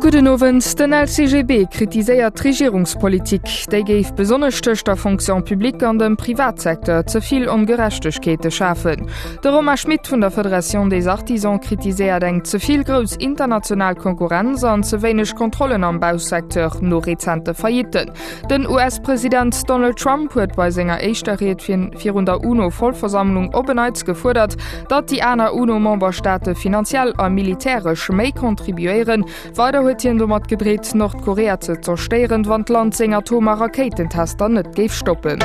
Gudden Owend, Den LCGB kritiséiert d'Regierungspolitik. Déi géif besonnesch tëscht der Fonction publique an dem Privatsecteur ze vill Ongerechtegkeete schafen. De Romain Schmit vun der Federation des Artisans kritiséiert eng ze vill grouss international Konkurrenz an ze wéineg Kontrollen am Bausecteur no rezente Faillitten. Den US-President Donald Trump huet bei senger éischter Ried virun der UNO-Vollversammlung op en Neits gefuerdert, datt déi aner UNO-Memberstaate finanziell a militäresch méi contribuéieren. Weider huet hien domat gedreet, Nordkorea ze zerstéieren, wann d'Land seng Atom a Rakéitentester net géif stoppen.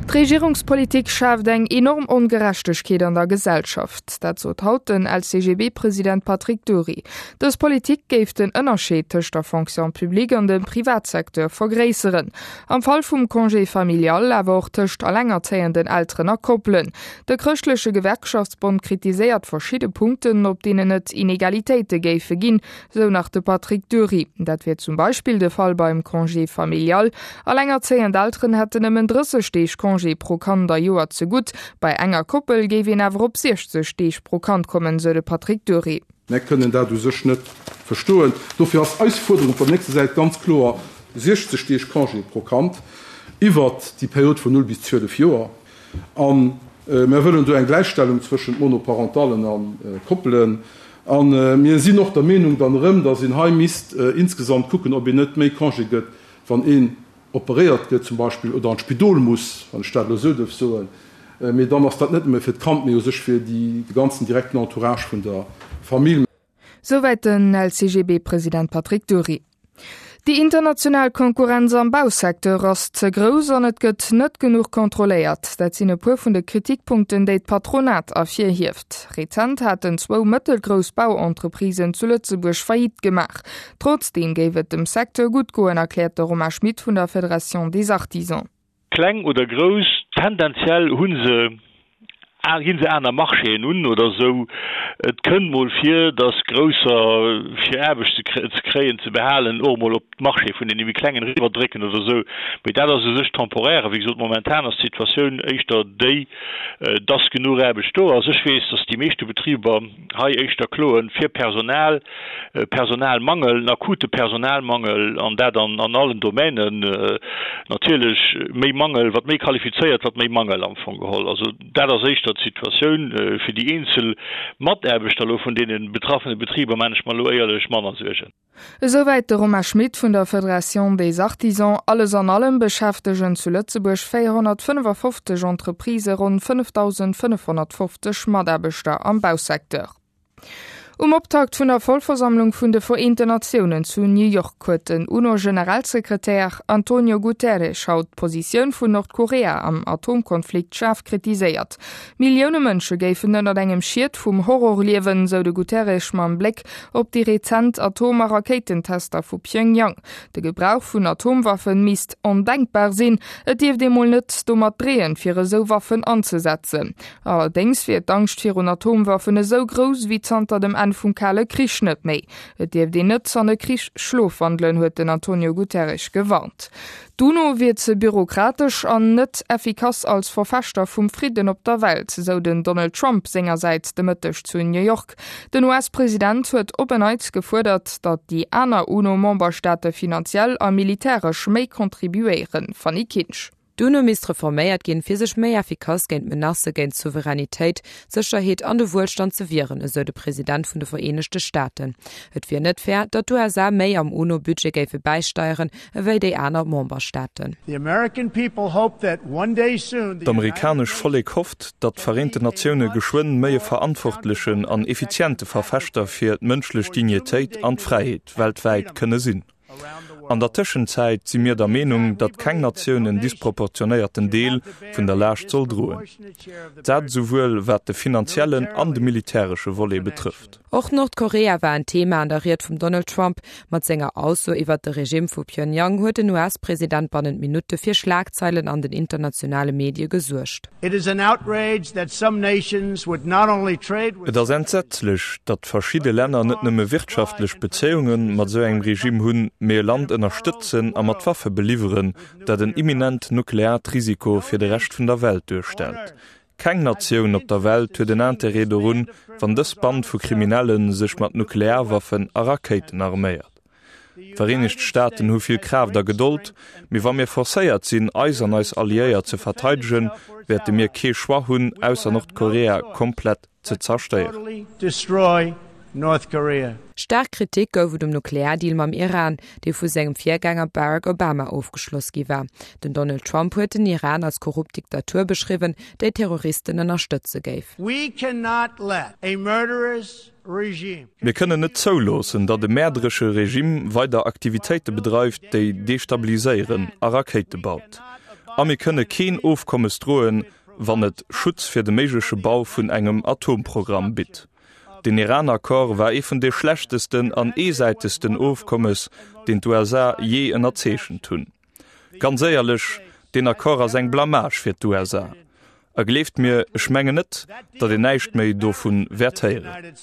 D'Regierungspolitik schaaft eng enorm Ongerechtegkeet an der Gesellschaft. Dat sot haut den LCGB-President Patrick Dury. Dës Politik géif den Ënnerscheed tëscht der Fonction publique an dem Privatsecteur vergréisseren. Am Fall vum Congé familial, awer och tëscht allengerzéienden Elteren a Koppelen. De Chrëschtleche Gewerkschaftsbond kritiséiert verschidde Punkten, op deenen et Inegalitéite géife ginn, sou nach de Patrick Dury. Dat wier zum Beispill de Fall beim Congé familial. Allengerzéiend Elteren hätten nëmmen 30 Deeg Congé pro Kand a Joer zegutt. Bei enger Koppel géif een awer op 60 Deeg pro Kand kommen, sou de Patrick Dury. Mär kënnen dat u sech net verstoen. Dofir ass eis Fuerderung op der nächster Säit ganz kloer, 60 Deeg Congé pro Kand iwwert déi Period vun 0 bis 12 Joer. A mär wëllen do eng Gläichstellung zwëschent Monoparentallen a Koppelen. A mir sinn och der Meenung dann erëm, dass een hei misst insgesamt kucken, ob een net méi Congé gëtt, wann een operéiert gëtt zum Beispill oder an d'Spidol muss, wann ech dat elo esou duerf soen, mee dann ass dat net nëmme fir d'Kand, mee u sech fir de ganzen direkten Entourage vun der Famill. Souwäit den LCGB-President Patrick Dury. Déi international Konkurrenz am Bausecteur ass ze grouss an et gëtt net genuch kontrolléiert. Dat sinn e puer vun de Kritikpunkten, déi d'Patronat ervirhieft. Rezent haten zwou mëttelgrouss Bauentreprisen zu Lëtzebuerg Faillite gemaach. Trotzdeem géif et dem Secteur gutt goen, erkläert de Romain Schmit vun der Fédération des Artisans. Kleng oder grouss, tendenziell hu se, ginn se aner Marchéen un oder esou. Et kënnt mol vir, datt Grousser, fir Aarbecht ze kréien, ze behalen, och emol op d'Marché vun deene méi Klengen eriwwerdrécken oder esou. Mee dat ass u sech temporaire. Wéi gesot, momentan ass d'Situatioun éischter déi, datt genuch Aarbecht do ass. Ech weess, datt déi meeschte Betriber, hei éischter kloen fir Personal, Personalmangel, en akute Personalmangel, an dat an allen Domänen. Natierlech méi Mangel, wat méi qualifizéiert, wat méi Mangel am Fong geholl. Also dat ass éischter d'Situatioun. Fir déi eenzel Mataarbechter elo vun deene betraffene Betriber maan ech mer elo éierlech manner Suergen. Esouwäit de Romain Schmit vun der Federation des Artisans. Alles an allem beschäftegen zu Lëtzebuerg 455 Entreprisë ronn 5.550 Mataarbechter am Bausecteur. Um Optakt vun der Vollversammlung vun de Vereenten Natiounen zu New York huet den UNO-Generalsekretär Antonio Guterres haut d'Positioun vun Nordkorea am Atomkonflikt schaarf kritiséiert. Millioune Mënsche géifen ënnert engem Schiet vum Horror liewen, sou de Guterres mam Bléck op déi rezent Atom a Rakéitentester vu Pjöngjang. De Gebrauch vun Atomwaffen misst ondenkbar sinn. Et dierft ee mol net domat dreeën, fir esou Waffen anzesetzen. Allerdéngs wier d'Angscht virun Atomwaffen esou grouss ewéi zanter dem Enn vum Kale Krich net méi. Et dierft een net an e Krich schlofwandelen, huet den Antonio Guterres gewarnt. D'UNO wier ze bürokratesch an net effikass als Verfechter vum Fridden op der Welt, sou den Donald Trump sengersäits de Mëtteg zu New York. Den US-President huet op en Neits gefuerdert, datt déi aner UNO-Memberstaate finanziell a militäresch méi contribuéieren. Fanny Kinsch. D'UNO misst reforméiert ginn, fir sech méi effikass géint Menacë géint d'Souveränitéit, d'Sécherheet an de Wuelstand ze wieren, esou de President vun de Vereenegte Staaten. Et wier net fair, datt d'USA méi am UNO-Budget géife bäisteieren, ewéi déi aner Memberstaaten. D'amerikanesch Vollek hofft, datt d'Vereenten Natioune geschwënn méi e verantwortlechen an effiziente Verfechter fir d'mënschlech Dignitéit an d'Fräiheet weltwäit kënne sinn. An der Tëschenzäit si mir der Meenung, datt keng Natioun en disproportionéierten Deel vun der Laascht soll droen, dat esouwuel wat de finanziellen an de militäresche Volet betrëfft. Och Nordkorea war en Thema an der Ried vum Donald Trump. Mat senger Ausso iwwert de Regimm vu Pyongyang huet den US-President bannent Minutte fir Schlagzeilen an den internationale Medie gesuergt. Et ass entsetzlech, datt verschidde Länner net nëmme wirtschaftlech Bezéiunge mat esou engem Regime hunn, mee e Land ënnerstëtzen a mat Waffe beliwweren, dat en imminent nukleaart Risiko fir de Rescht vun der Welt duerstellt. Keng Natioun op der Welt huet en Interêt dorun, wann dës Band vu Kriminelle sech mat Nuklearwaffen a Rakéiten arméiert. D'Vereenegt Staaten hu vill Kraaft a Gedold, mee wa mir forcéiert sinn, eis an eis Alliéiert ze verteidegen, wäerte mir kee Choix hunn, ausser Nordkorea komplett ze zerstéieren. Staark Kritik gouf et um Nukleardeal mam Iran, dee vu sengem Virgänger Barack Obama ofgeschloss gi war. Den Donald Trump huet den Iran als korrupt Diktatur beschriwwen, déi Terroristen ënnerstëtze géif. Mir kënnen net zouloossen, datt e mäerderesche Regime weider Aktivitéite bedreift, déi destabiliséieren a Rakéite baut. A mir kënne keen Ofkommes droen, wann et Schutz fir de méigleche Bau vun engem Atomprogramm bitt. Den Iran-Accord war ee vun de schlechtesten an eesäitegsten Ofkommes, deen d'USA jee ënnerzeechent hunn. Ganz éierlech, deen Accord ass eng Blamage fir d'USA. A gleeft mir, ech mengen net, datt een näischt méi dovu wäert héieren.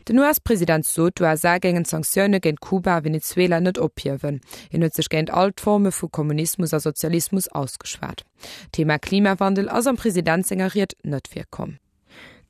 Den US-President sot, d'USA géingen d'Sanktioune géint Kuba a Venezuela net ophiewen. Hien huet sech géint all d'Forme vu Kommunismus a Sozialismus ausgeschwat. D'Thema Klimawandel ass am President senger Ried net virkomm.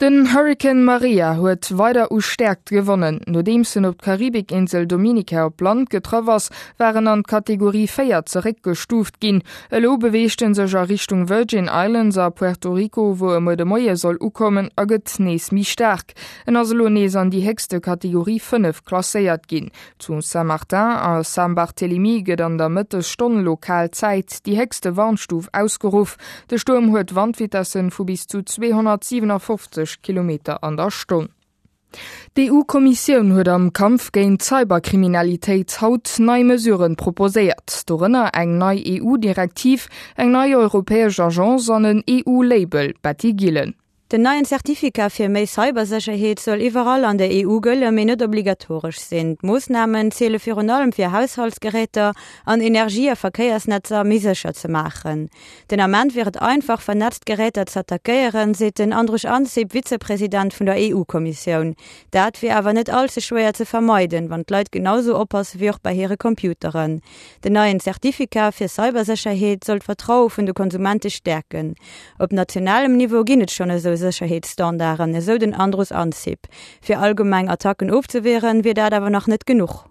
Den Hurrikan Maria huet weider u Stäerkt gewonnen. Nodeems en op d'Karibikinsel Dominica op Land getraff ass, war en an d'Kategorie 4 zeréckgestuuft ginn. Elo beweegt en sech a Richtung Virgin Islands a Puerto Rico, wou e muer de Moie soll ukommen a gëtt nees méi staark. En ass elo nees an déi héchste Kategorie 5 klasséiert ginn. Zu Saint-Martin a Saint-Barthélemy gëtt an der Mëttesstonn lokal Zäit déi héchste Warnstuf ausgeruff. De Stuerm huet Wandvitessen vu bis zu 257 Kilometer an der Stonn. D'EU-Kommissioun huet am Kampf géint d'Cyberkriminalitéit haut nei Mesuren proposéiert, dorënner eng nei EU-Direktiv, eng nei europäesch Agence an en EU-Label. Betty Gillen. Den neien Certificat fir méi Cybersécherheet soll iwwerall an der EU gëlle mee net obligatoresch sinn. D'Moossnamen ziele virun allem fir Haushaltsgeräter an Energie a Verkéiersnetzer méi sécher ze maachen. Den Ament wier et einfach, vernetzt Geräter z'attackéieren, seet den Andrus Ansip, Vizepresident vun der EU-Kommissioun. Dat wier awer net all ze schwéier ze vermeiden, wann d'Leit genau sou oppasse wéi och bei hire Computeren. Den neien Certificat fir Cybersécherheet soll d'Vertraue vun de Konsumente stäerken. Op nationalem Niveau ginn et schonn esou Sécherheetsstandarden, esou den Andrus Ansip. Fir allgemeng Attacken ofzewieren, wier dat awer nach net genuch.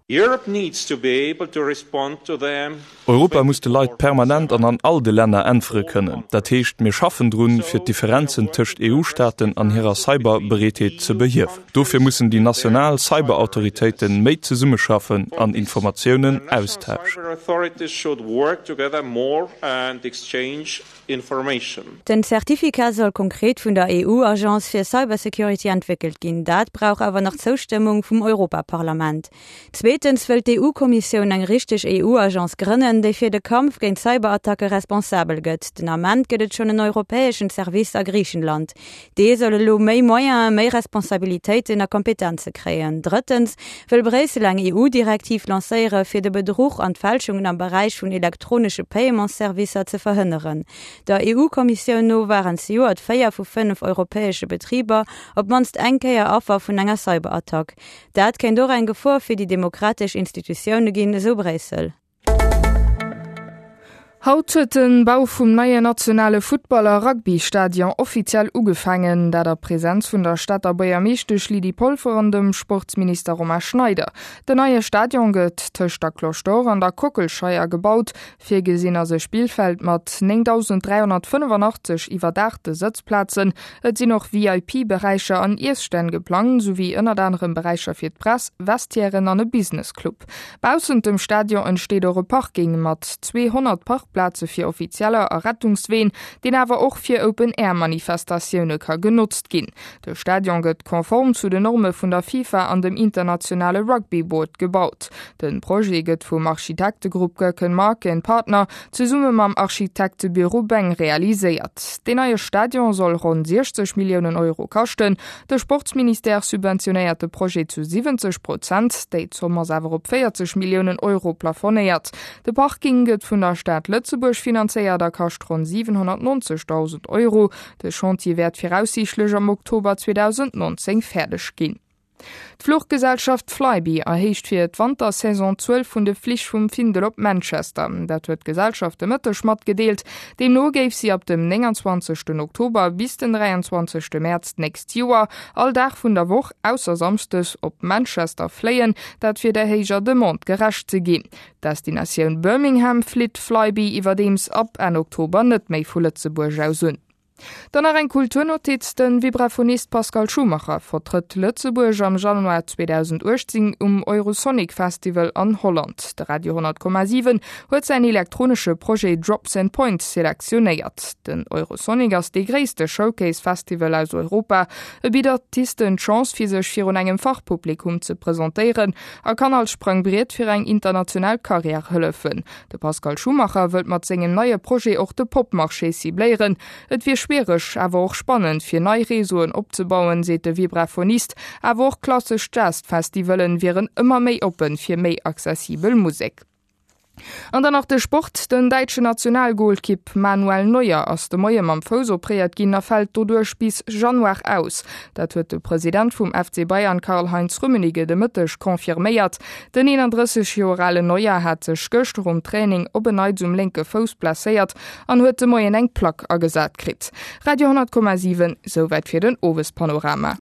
Europa muss de Leit permanent an an all de Länner äntwere kënnen. Dat heescht, mir schaffen drun, fir d'Differenzen tëscht EU-Staaten an hirer Cyberbereetheet ze behiewen. Dofir mussen déi national Cyberautoritéite méi zesummeschaffen an Informatiounen austauschen. Den Certificat soll konkret vun der EU-Agence fir Cybersecurity entwéckelt ginn. Dat brauch awer nach d'Zoustëmmung vum Europaparlament. Zweetens wëllt d'EU-Kommissioun eng richteg EU-Agence grënnen, déi fir de Kampf géint Cyberattacke responsabel gëtt. Den Ament gëtt et schonn en europäeschen Service a Griichenland. Dee soll elo méi Moyenen, méi Responsabilitéiten a Kompetenze kréien. Drëttens wëll Bréissel eng EU-Direktiv lancéiere fir de Bedruch an d'Fälschungen am Beräich vun elektronesche Paiementsservicer ze verhënneren. Der EU-Kommissioun no waren zejoert 4 vu 5 europäesche Betriber op d'mannst eng Kéier Affer vun enger Cyberattack. Dat kéint och eng Gefor fir déi demokratesch Institutioune ginn, esou Bréissel. Haut huet de Bau vum neien nationale Futtball a Rugby-Stadion offiziell ugefaangen. Dat a Presenz vun der Stater Buergermeeschtesch Lydie Polfer an dem Sportsminister Romain Schneider. Den neie Stadion gëtt tëscht der Cloche d'Or an der Kockelscheier gebaut. Virgesinn ass e Spillfeld mat 9.385 iwwerdaachte Sëtzplazen. Et sinn och VIP-Beräicher an Iesstänn geplangt, souwéi ënnert anerem Beräicher fir d'Press, Vestiairen an e Business Club. Baussent dem Stadion entsteet och e Parking mat 200 Parkplaze fir Offizieller a Rettungsween, deen awer och fir Open-Air-Manifestatioune ka genotzt ginn. De Stadion gëtt konform zu den Norme vun der FIFA an dem internationale Rugby Board gebaut. De Projet gëtt vum Architektegrupp Gerken Mark and Partner zesumme mam Architektebüro Beng realiséiert. Deen neie Stadion soll ronn 60 Milliounen Euro kaschten. De Sportsministère subventionéiert de Projet zu 70 Prozent, déi Zomm ass awer op 40 Milliounen Euro plafonéiert. De Parking gëtt vun der Stad Lëtzebuerg finanzéiert a kascht ronn 790.000 Euro. De Chantier wäert viraussiichtlech am Oktober 2019 fäerdeg ginn. D'Fluchgesellschaft Flybe erhéicht fir d'Wantersaison d'Zuel vun de Flich vum Findel op Manchester. Dat huet d'Gesellschaft de Mëtteg matgedeelt. Deemno géif si ab dem 29 Oktober bis den 23 Mäerz d'nächst Joer all Dag vun der Woch, ausser samschdes, op Manchester fléien, dat fir der héijer Demande gerecht ze ginn. D'Destinatioun Birmingham flitt Flybe iwwerdeems ab Enn Oktober net méi vu Lëtzebuerg aus un. Dann nach eng Kulturnotiz, De Vibraphonist Pascal Schumacher vertrëtt Lëtzebuerg am Januar 2018 um Eurosonic Festival an Holland. De Radio 10,7 huet säin elektronesche Projet Drops and Points selektionéiert. Den Eurosonic ass dee gréisste Showcase-Festival aus Europa. E bitt Artisten d'Chance fir sech virun engem Fachpublikum ze presentéieren a kann als Sprangbriet fir eng international Karriär hëllefen. De Pascal Schumacher wëllt mat sengem neie Projet och de Pop-Marché cibléieren. Et wier schwiereg, awer och spannend, fir nei Réseauen opzebauen, seet de Vibraphonist. Awer och klassesch Jazz-Festivallen wieren ëmmer méi oppen fir méi accessibel Musek. An dann nach de Sport, Den däitschen Nationalgolkipp Manuel Neuer ass de Moie mam Fouss opréiert ginn a fält doduerch bis Januar aus. Dat huet de President vum FC Bayern Karl-Heinz Rummenigge de Mëtteg confirméiert. Den 31 Joer alen Neuer hat sech gëschter um Training op en Neits um lénke Fouss blesséiert an huet de Moien eng Plack agesat kritt. Radio 10,7, Souwäit fir den Owespanorama.